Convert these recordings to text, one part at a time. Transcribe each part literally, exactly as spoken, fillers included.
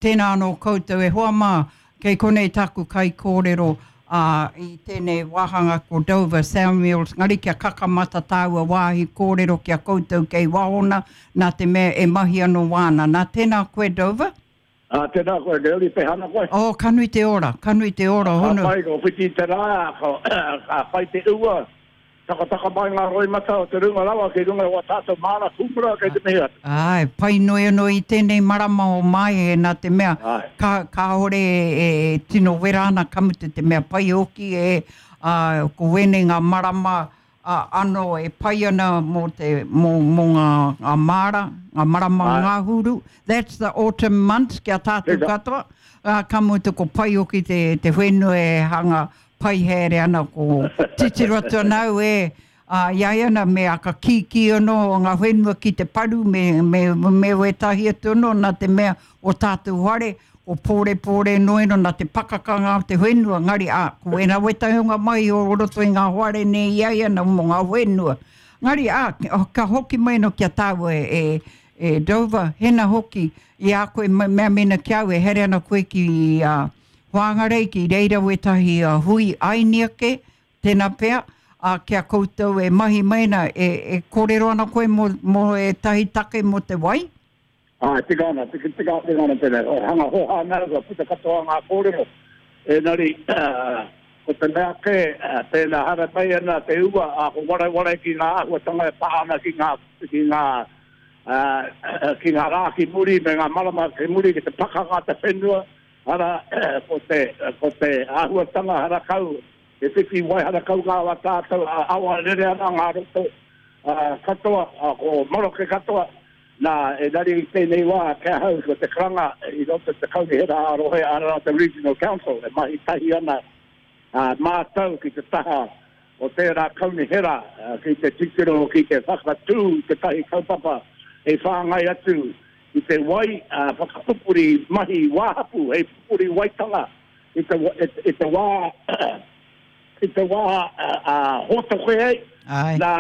Tēnā anō koutou e hoa mā, kei konei taku kaikōrero ā, i tēnei wāhanga ko Dover Samuels, ngari kia kakamata tāua wāhi kōrero ki a koutou kei wahona, nā te mea e mahi anō wāna. Nā, tēnā koe Dover. Ā, tēnā koe, Neroli, pēhea ana koe? Oh, ka nui te ora, ka nui te ora, hono. Ka pai, ko whiti te rā, ka pai te ua. Takataka mai ngā roimata o te runga rawa ki runga i wā tātou māra kūmara kei te mihi atu. Āe, pai noi anō i tēnei marama o Maehe nā te mea ka, kāore e tino wera ana ka mutu te mea pai hoki e, ā, ko wēnei ngā marama ā, anō e pai ana mō te, mō, mō ngā, ngā māra, ngā marama ngahuru. That's the autumn months ki a tātou katoa. Ā, ka mutu ko pai hoki te, te whenua e hanga Pai haere ana ko titiro atu ana au e, a, i a ia ana me aka kīkī anō o ngā whenua ki te paru me, me, me wētahi atu anō nā te mea o tātou whare, ko Pōrepōre noeno nā te pakakanga o te whenua, ngari, a, ko wēnā wētahi o ngā mahi o roto i ngā whare nei i a ia ana mō ngā whenua. Ngari, a, ka hoki mai anō ki a tāua e, e, e Dover, hena hoki i a koe mea mena ki a au e haere ana koe ki, a, Whangarei ki reira wētahi hui ainiake, tēnā pea, ā, ki a koutou e mahi mai ana, e, e kōrero ana koe mō, mō ētahi take mō te wai? Āe, tika ana, tika, tika, tika ana tēnei. O hanga hōhā ana au, kua puta katoa ngā kōrero. Engari, ko te mea kē, pēnā haere mai ana te ua, ā, ko wareware ki ngā āhuatanga e pā ana ki ngā, ki ngā, ā, ki ngā rā ki muri me ngā marama ki muri ki te pakanga te whenua, Arā, ko te, ko te āhuatanga harakau, he whiwhi wai harakau ngā wā tātou, ā, awa rere ana ngā roto, ā, katoa, ā, ko maroke katoa. Nā, engari i tēnei wā, ki ahau, ko te karanga i roto i te kaunihera ā-rohe, arā, te Regional Council, e mahi tahi ana, ā, mātou ki te taha o tērā kaunihera ki te titiro, ki te whakatū i tētahi kaupapa hei whāngai atu i te wai, ā, whakapupuri mahi wāhapu hei pupuri waitanga i te, i te wā, i te wā ā, hōtoke ai, nā,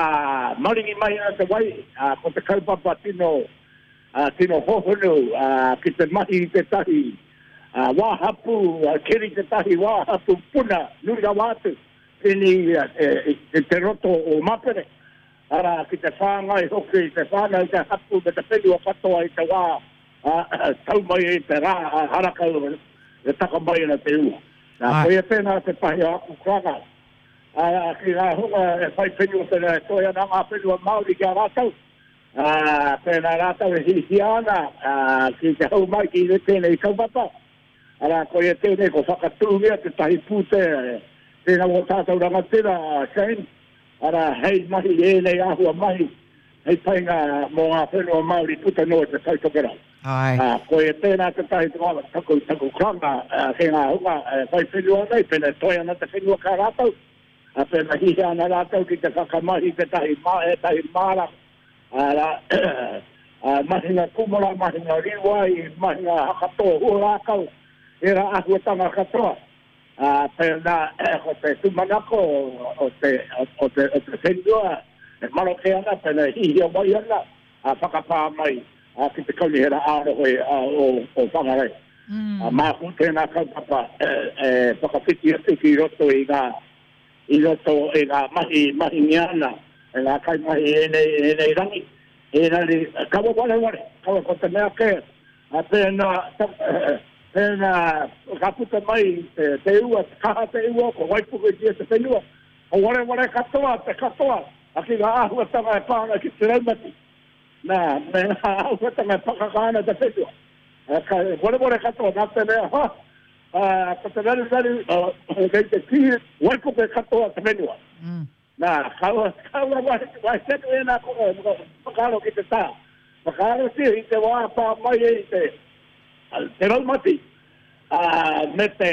maringi mai ana te wai, ā, ko te kaupapa tino, ā, tino hohonu, ā, ki te mahi i tētahi, ā, wāhapu, ā, keri tētahi wāhapu puna nui rawa atu, pēnei i, i te roto o Mapere. Arā, ki te whāngai hoki i te whānau, te hapū me te whenua katoa i te wā, ā, tau mai ai te rā, ā, harakau e taka mai ana te ua. Nā, koia tēnā tētahi o aku karanga, ā, ki ngā hunga e whai whenua pēnā e toe ana ngā whenua Māori ki a rātou, ā, pēnā rātou e hihia ana, ā, ki te hou mai ki tēnei kaupapa, arā, koia tēnei ko whakatūngia tētahi pūtea, tēnā wō tātou rangatira, a Shane, Arā, hei mahi ēnei āhua mahi hei painga mō ngā whenua Māori puta noa i te Tai Tokerau. Āe. Ā, koia tēnā tētahi taku, taku karanga ki ngā hunga e whai whenua nei, pēnā e toe ana te whenua ki a rātou, ā, pēnā hihia ana rātou ki te whakamahi tētahi mā, ētahi māra, arā, ā, mahinga kūmara, mahinga rīwai, mahinga hakatō huarākau, ērā āhuatanga katoa. Ā, pēnā ko te tūmanako o te, o te, o te whenua e maroke ana, pēnā e hihia mai ana, ā, whakapā mai ki te Kaunihera ā-Rohe o, o Whangarei. Mm. Ā, māku tēnā kaupapa e, e whakawhiti atu ki roto i ngā, i roto i ngā mahi mahingia ana e ngā kaimahi i ēnei, ēnei rangi. Engari, kaua wareware, kaua ko te mea kē, ā, pēnā, pēnā ka puta mai te, te ua, te kaha te ua, ko waipuketia te whenua, ko wareware katoa te katoa, a ki ngā āhuatanga e pā ana ki te raumati, nā, me ngā āhuatanga e pakaka ana te whenua. Ā, ka wareware katoa, nā te mea, ha, ā, ko te raruraru, ā, kei te kī waipuke katoa te whenua. Mm. Nā, kaua, kaua wahi, wahi tonu ēnā kore, whakaaro ki te tā. Whakaarotia i te wā pā mai ai te, te raumati, ā, me te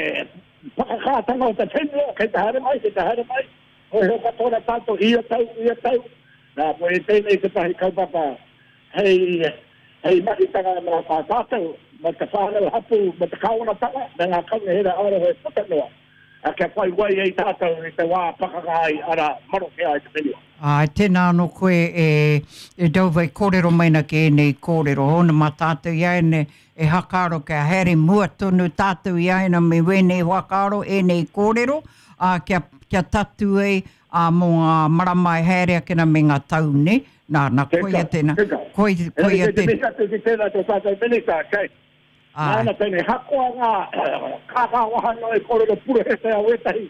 whakakātanga o te whenua, kei te haere mai, kei te haere mai, hōiho katoa rā tātou ia tau, ia tau. Nā, koia tēnei tētahi kaupapa hei, hei mahitanga mā tā tātou, mā te whānau hapū, mā te kāwanatanga, me ngā kaunihera ā-rohe puta noa. Kia whai wai ai tātou i te wā pakanga ai, arā, maroke ai te whenua. Āe, tēnā anō koe e, e Dover e kōrero mai na ki ēnei kōrero. Hōna mā tātou i āianei e hakaaro kia haere mua tonu tātou i āianei me wēnei whakaaro, ēnei kōrero, ā, kia, kia tatū ai, ā, mō ngā marama e haere ake na me ngā tau, nē? Nā, nā, koia tēnā. Teka, teka. Koi, koia Engari kei te tēnā. mihi atu ki tēnā tō tātou Minita, kei. Āe. Nāna tēnei, hakoa ngā kākā waha noa i kōrero purehe a wētahi,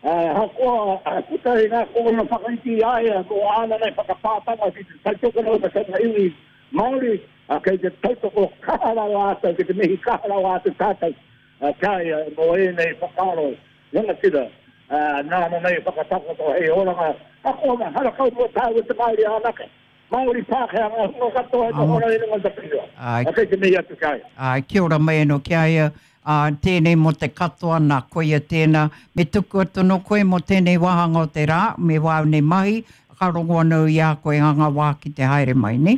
hakoa puta i ngā kōrero whakaiti i a ia mō āna nei whakapātanga ki te tautokona o te whenua iwi Māori, kei te tautoko kaha rawa atu, kei te mihi kaha rawa atu tātou ki a ia mō ēnei whakaaro rangatira nāna nei whakatakoto hei oranga, hakoa ngā harakau mō tāua te Māori anake. Māori Pākehā ngā hunga katoa e noho ana i runga i te whenua. Āe. Kei te mihi atu ki a ia. Āe, kia ora mai anō ki a ia. Ā, tēnei mō te katoa, nā, koia tēnā. Me tuku atu anō koe mō tēnei wāhanga o te rā, me wāu nei mahi, ka rongo anō i a koe ngā ngā wā ki te haere mai, nē?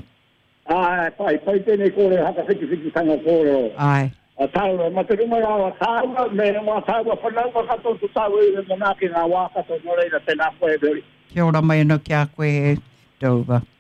Āe, pai, pai tēnei kōrero hakawhitiwhititanga kōrero. Āe. A tāua, ma te runga rā o tāua, me ngā tāua whanaunga katoa to tāua iwi manaaki ngā wā katoa, nō reira, tēnā koe e Mary. Kia ora mai anō ki a koe e Dover.